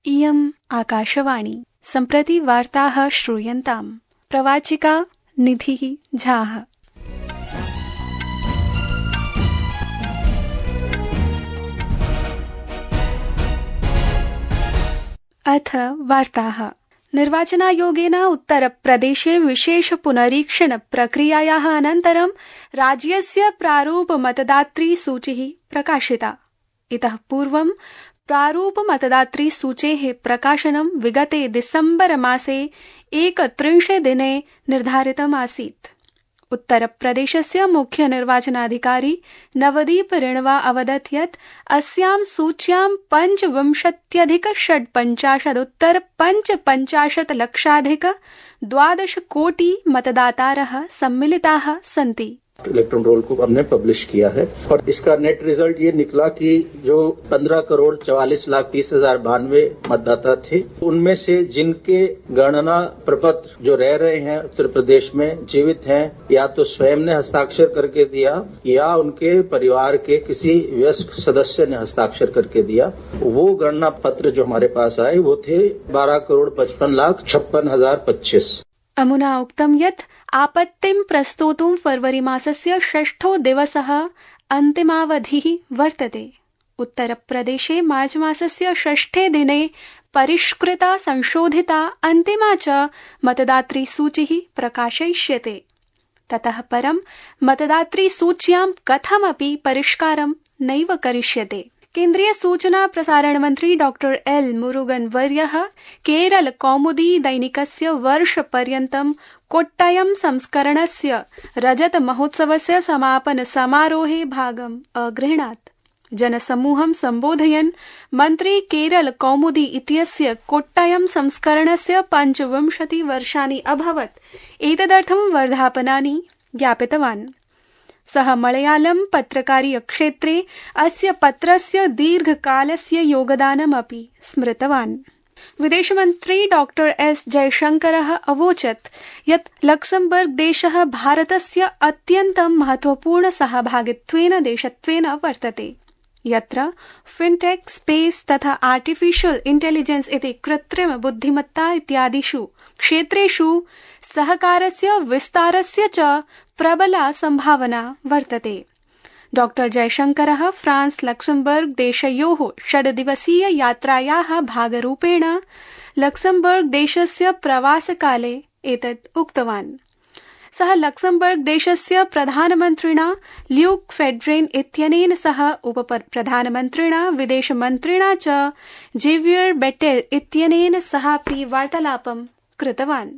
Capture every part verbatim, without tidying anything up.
इयम् आकाशवाणी। सम्प्रति वार्ताः श्रूयन्ताम्। प्रवाचिका निधिः झाः। अथ वार्ताः। निर्वाचनायोगेन उत्तरप्रदेशे विशेष पुनरीक्षण प्रक्रियायाः अनन्तरं राज्यस्य प्रारूप मतदातृ सूचिः प्रकाशिता। इतः पूर्वं प्रारूप मतदातृ सूचेः प्रकाशनं विगते डिसेम्बर मासे एकत्रिंशे दिने निर्धारितम् आसीत्। उत्तरप्रदेशस्य मुख्य निर्वाचनाधिकारी नवदीप रेणवा अवदत् यत् अस्यां सूच्यां पञ्चविंशत्यधिक षड्पञ्चाशदुत्तर पञ्चपञ्चाशत् लक्षाधिक द्वादश कोटि मतदातारः सम्मिलिताः सन्ति। इलेक्ट्रल रोल को हमने पब्लिश किया है और इसका नेट रिजल्ट ये निकला कि जो पंद्रह करोड़ चवालीस लाख तीस हजार बानवे मतदाता थे, उनमें से जिनके गणना प्रपत्र जो रह रहे हैं उत्तर प्रदेश में जीवित हैं, या तो स्वयं ने हस्ताक्षर करके दिया या उनके परिवार के किसी वयस्क सदस्य ने हस्ताक्षर करके दिया, वो गणना पत्र जो हमारे पास आए वो थे बारह करोड़ पचपन लाख छप्पन हजार पच्चीस। अमुना उक्तं यत् आपत्तिं प्रस्तोतुं फरवरी मासस्य षष्ठो दिवसः अन्तिमावधिः वर्तते। उत्तरप्रदेशे मार्च मासस्य षष्ठे दिने परिष्कृता संशोधिता अन्तिमा च मतदातृ सूचिः प्रकाशयिष्यते। ततः परं मतदातृ सूच्यां कथमपि परिष्कारं नैव करिष्यते। केन्द्रीय सूचना प्रसारण मंत्री डॉक्टर एल मुरुगन वर्यः केरल कौमुदी दैनिकस्य वर्षपर्यन्तं कोट्टयम संस्करणस्य रजत महोत्सवस्य समापन समारोहे भागम् अगृह्णात्। जनसमूहं सम्बोधयन् मन्त्री केरल कौमुदी इत्यस्य कोट्टयम संस्करणस्य पञ्चविंशति वर्षाणि अभवत् एतदर्थं वर्धापनानि ज्ञापितवान्। सः मलयालम पत्रकारीय क्षेत्रे अस्य पत्रस्य दीर्घकालस्य योगदानमपि स्मृतवान्। विदेशमन्त्री डॉक्टर एस जयशंकरः अवोचत् यत् लक्समबर्ग देशः भारतस्य अत्यन्तं महत्वपूर्ण सहभागित्वेन देशत्वेन वर्तते, यत्र फिनटेक, स्पेस तथा आर्टिफिशियल इंटेलिजेंस इति कृत्रिम बुद्धिमत्ता इत्यादिषु क्षेत्रेषु सहकारस्य विस्तारस्य च प्रबला संभावना वर्तते। डॉक्टर जयशंकरः फ्रांस लक्समबर्ग देशयोः षड्दिवसीय यात्रायाः भागरूपेण लक्समबर्ग देशस्य प्रवासकाले एतत् उक्तवान्। सः लक्समबर्ग देशस्य प्रधानमन्त्रिणा ल्यूक फेड्रेन इत्यनेन सह उपप्रधानमन्त्रिणा विदेशमन्त्रिणा च जेवियर बेटेल इत्यनेन सहापि वार्तालापं कृतवान्।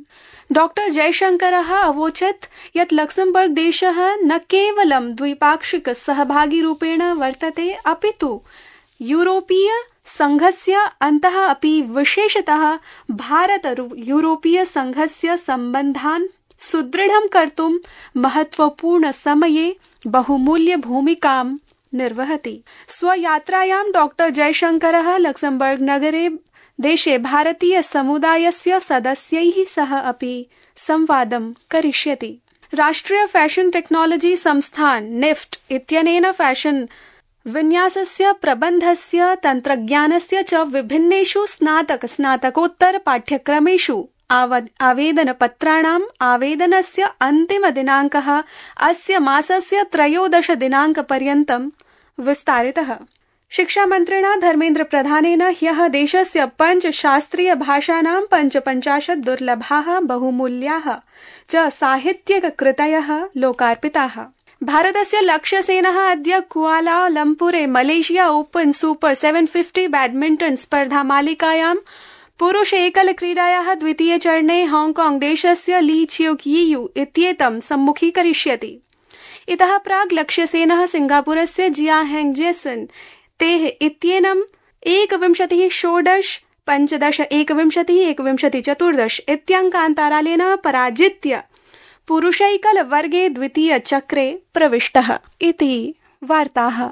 डॉक्टर जयशंकरः अवोचत् यत् लक्समबर्ग देशः न केवलं द्विपाक्षिक सहभागीरूपेण वर्तते, अपितु यूरोपीय संघस्य अन्तः अपि विशेषतः भारत यूरोपीय संघस्य सम्बन्धान् सुदृढं कर्तुं महत्वपूर्ण समये बहुमूल्य भूमिकां निर्वहति। स्वयात्रायां डॉक्टर जयशंकरः लक्समबर्ग नगरे देशे भारतीय समुदायस्य सदस्यैः सह अपि संवादं करिष्यति। राष्ट्रिय फैशन टेक्नोलॉजी संस्थान निफ्ट इत्यनेन फैशन विन्यासस्य प्रबन्धस्य तन्त्रज्ञानस्य च विभिन्नेषु स्नातक स्नातकोत्तर पाठ्यक्रमेषु आवेदनपत्राणाम् आवेदनस्य अन्तिमदिनाङ्कः अस्य मासस्य त्रयोदश दिनाङ्कपर्यन्तं विस्तारितः। शिक्षामन्त्रिणा धर्मेन्द्र प्रधानेन ह्यः देशस्य पञ्च शास्त्रीय भाषाणां पञ्चपञ्चाशत् दुर्लभाः बहुमूल्याः च साहित्यिककृतयः लोकार्पिताः। भारतस्य लक्ष्यसेनः अद्य कुआलालम्पुरे मलेशिया ओपन सुपर सेवन फिफ्टी बैडमिंटन स्पर्धा मालिकायां पुरुष एकल क्रीडायाः द्वितीय चरणे हांगकांग देशस्य ली चियुक यीयू इत्येतं सम्मुखीकरिष्यति। इतः प्राग् लक्ष्यसेनः सिंगापुरस्य जिया हेंग जेसन तेः इत्येनम् एकविंशतिः षोडश पञ्चदश एकविंशतिः एकविंशतिः चतुर्दश इत्यङ्कान्तरालेन पराजित्य पुरुषैकल वर्गे द्वितीय चक्रे प्रविष्टः इति वार्ताः।